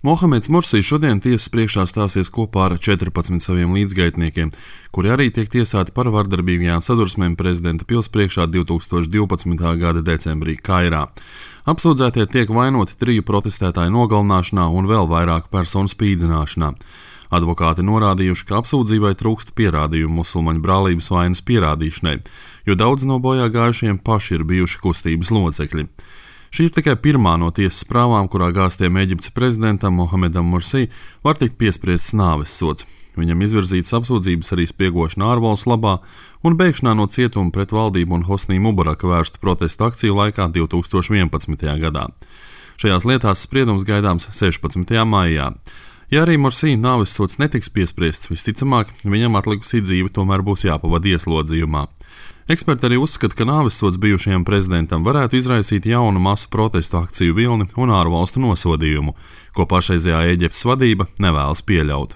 Mohameds Mursī šodien tiesas priekšā stāsies kopā ar 14 saviem līdzgaitniekiem, kuri arī tiek tiesāti par vardarbīgajām sadursmēm prezidenta pils priekšā 2012. gada decembrī Kairā. Apsūdzētie tiek vainoti 3 protestētāju nogalināšanā un vēl vairāku personu spīdzināšanā. Advokāti norādījuši, ka apsūdzībai trūkst pierādījumu musulmaņu brālības vainas pierādīšanai, jo daudz no bojā gājušiem paši ir bijuši kustības locekļi. Šī ir tikai pirmā no tiesas prāvām, kurā gāztiem Ēģiptes prezidentam Mohamedam Mursī var tikt piespriests nāves sods. Viņam izvirzītas apsūdzības arī spiegošana ārvalstu labā un bēgšanā no cietuma pret valdību un Hosnī Mubaraka vērstu protestu akciju laikā 2011. gadā. Šajās lietās spriedums gaidāms 16. maijā. Ja arī Mursī nāves sods netiks piespriests, visticamāk, viņam atlikusī dzīve tomēr būs jāpavada ieslodzījumā. Eksperti arī uzskata, ka nāves sods bijušajam prezidentam varētu izraisīt jaunu masu protestu akciju vilni un ārvalstu nosodījumu, ko pašreizējā Ēģiptes vadība nevēlas pieļaut.